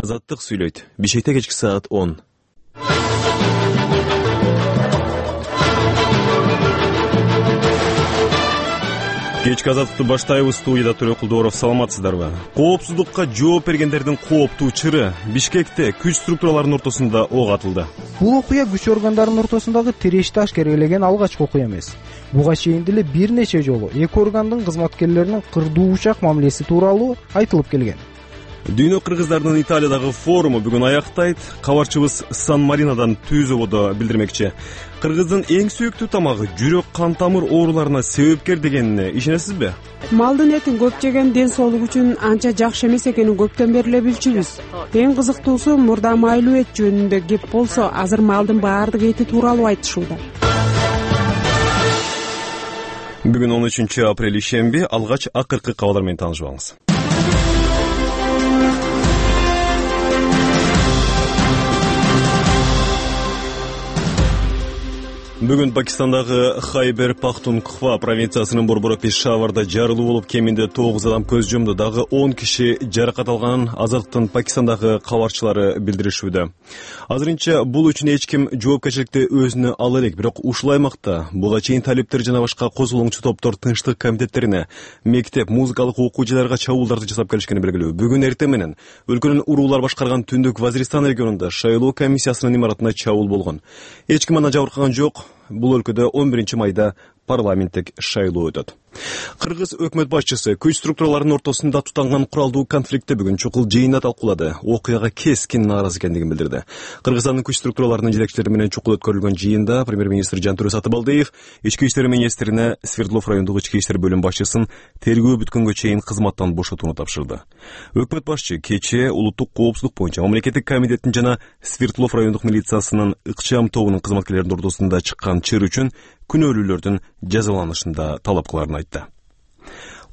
Азаттык сүйлөйт. Бишкекте кечки саат 10. Кечки азаттыкты баштайбыз. Студияда Төрөкулдууров. Саламатсыздарбы? Коопсуздукка жооп бергендердин кооптуу чыры. Бишкекте күч структураларынын ортосунда ок атылды. Бул окуя күч органдарынын ортосундагы тирешти ашкерелеген алгачкы окуя эмес. Буга чейин деле бир нече жолу эки органдын кызматкерлеринин кырдуу учак мамилеси тууралуу айтылып келген. Дүйнө кыргыздарынын Италиядагы форуму бүгүн аяктайт. Кабарчыбыз Сан-Маринодан Түзөбодо билдирмекчи. Кыргыздын эң сүйүктүү тамагы жүрөк кан тамыр ооруларына себепкер дегенине ишенесизби? Малдын этин көп жеген ден соолук үчүн анча жакшы эмес экенин көптөн бери эле билчүбүз. Эң кызыктуусу мурда майлуу эт жөнүндө кеп болсо, азыр малдын баардык эти тууралуу айтышууда. Бүгүн 13 апрель ишемби. Алгач акыркы кабарлар менен таанышып алыңыз. Бүгүн Пакистандагы Хайбер Пахтункхва провинциясынын борбору Пешаварда жарылуу болуп, кеминде 9 адам көз жумду. Дагы 10 киши жаракат алганын Азаттыктын Пакистандагы кабарчылары билдиришүүдө. Азырынча бул үчүн эч ким жоопкерчиликти өзүнө ала элек. Бирок ушул аймакта буга чейин талиптер жана башка козголоңчу топтор тынчтык комитеттерине, мектеп, музыкалык окуу жайларга чабуулдарды жасап келишкени белгилүү. Бүгүн эртең менен өлкөнүн уруулар башкарган Түндүк Вазиристан регионунда шайлоо комиссиясынын имаратына чабуул болгон. Эч ким андан жабыркаган жок. Бул өлкөдө 11 майда парламенттик шайлоо өтөт. Кыргыз өкмөт башчысы күч структураларынын ортосунда тутанган куралдуу конфликтти бүгүн чукул жыйында талкуулады. Окуяга кескин нааразы экендигин билдирди. Кыргызстандын күч структураларынын жетекчилери менен чукул өткөрүлгөн жыйында премьер-министр Жантөрө Сатыбалдиев ички иштер министрине Свердлов райондук ички иштер бөлүм башчысын тергөө бүткөнгө чейин кызматтан бошотууну тапшырды. Өкмөт башчы кечээ улуттук коопсуздук боюнча мамлекеттик комитеттин жана Свердлов райондук милициясынын ыкчам тобунун кызматкерлеринин ортосунда чыккан чыр үчүн күнөөлүүлөрдүн жазаланышында талап кыларын айтты.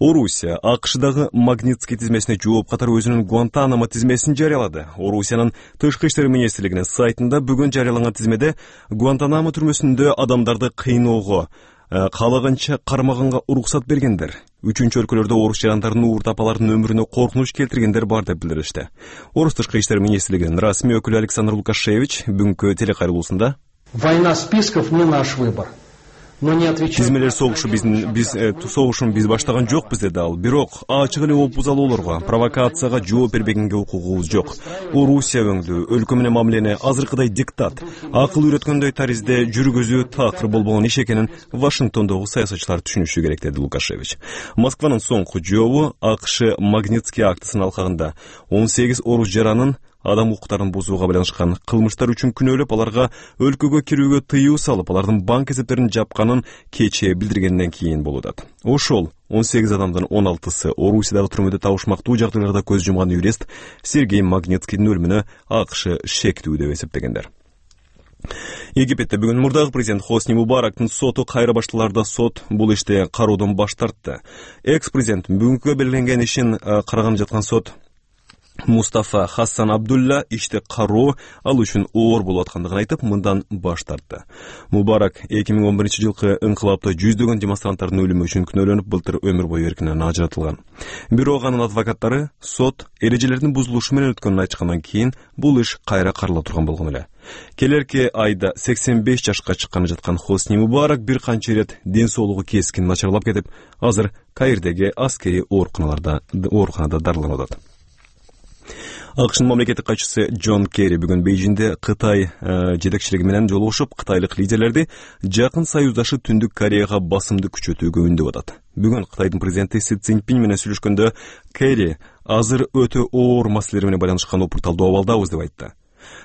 Орусия АКШдагы Магнитский тизмесине жооп катары өзүнүн Гуантанамо тизмесин жарыялады. Орусиянын тышкы иштер министрлигинин сайтында бүгүн жарыяланган тизмеде Гуантанамо түрмөсүндө адамдарды кыйноого, каалаганча кармаганга уруксат бергендер, үчүнчү өлкөлөрдө орус жарандарынын уурт апалардын өмүрүнө коркунуч келтиргендер бар деп билдиришти. Орус тышкы иштер министрлигинин расмий өкүлү Александр Лукашевич бүгүнкү телекайрылуусунда: «Война списков не наш выбор». Тизмелер согушун биз баштаган жокпуз, деди ал. Бирок ачык эле опузалоолорго, провокацияга жооп бербегенге укугубуз жок. Орусия өңдүү өлкө менен мамилени азыркыдай диктат, акыл үйрөткөндөй таризде жүргүзүү такыр болбогон иш экенин Вашингтондогу саясатчылар түшүнүшү керек, деди Лукашевич. Москванын соңку жообу АКШ Магнитский актысынын алкагында 18 орус жаранын адам укуктарын бузууга байланышкан кылмыштар үчүн күнөөлөп, аларга өлкөгө кирүүгө тыюу салып, алардын банк эсептерин жапканын кечээ билдиргенден кийин болуп. Ошол 18 адамдын 16сы Орусиядагы түрмөдө табышмактуу жагдайларда көз жумган юрист Сергей Магнитскийдин өлүмүнө АКШ шектүү деп эсептегендер. Египетте бүгүн мурдагы президент Хосни Мубарактын соту кайра башталарда сот бул иште кароодон баш тартты. Экс-президент бүгүнкү белгиленген ишин караган жаткан сот Мустафа Хасан Абдулла иште кароо ал үчүн оор болуп аткандыгын айтып, мындан баш тартты. Мубарак 2011-жылкы ыңкылапта жүздөгөн демонстранттардын өлүмү үчүн күнөөлөнүп, былтыр өмүр бою эркинен ажыратылган. Бирок анын адвокаттары сот эрежелердин бузулушу менен өткөнүн айтышкандан кийин бул иш кайра карала турган болгон эле. Келерки айда 85 жашка чыкканы жаткан Хосни Мубарак бир канча ирет ден соолугу кескин начарлап кетип, азыр Каирдеги аскерий ооруканада дарыланып атат. АКШнын мамлекеттик катчысы Джон Керри бүгүн Бейжиңде Кытай жетекчилиги менен жолугушуп, кытайлык лидерлерди жакын союздашы Түндүк Кореяга басымды күчөтүүгө үндөп атат. Бүгүн Кытайдын президенти Си Цзиньпин менен сүйлөшкөндө Керри азыр өтө оор маселелер менен байланышкан опурталдуу абалдабыз деп айтты.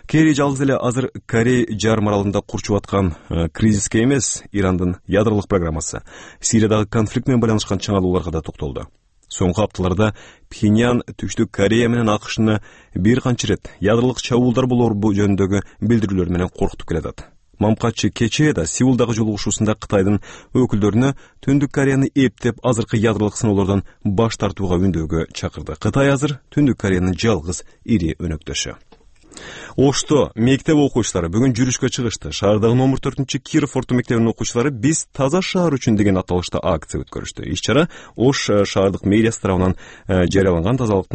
Керри жалгыз эле азыр Корей жарым аралында курчуп аткан кризиске эмес, Ирандын ядролук программасы, Сириядагы конфликт менен байланышкан чыңалууларга да токтолду. Соңку апталарда Пхеньян Түштүк Корея менен АКШны бир канча ирет ядролук чабуулдар болор жөнүндөгү билдирүүлөр менен коркутуп келатат. Мамкачы кечээ да Сеулдагы жолугушуусунда Кытайдын өкүлдөрүнө Түндүк Кореяны эптеп азыркы ядролук сыноолордон баш тартууга үндөөгө чакырды. Кытай азыр Түндүк Кореянын жалгыз ири өнөктөшү. Ошто мектеп окуучулары бүгүн жүрүшкө чыгышты. Шаардагы номер 4-Киров орто мектебинин окуучулары «Биз таза шаар үчүн» деген аталышта акция өткөрүштү. Иш чара Ош шаардык мэриясы тарабынан жарыяланган тазалыктын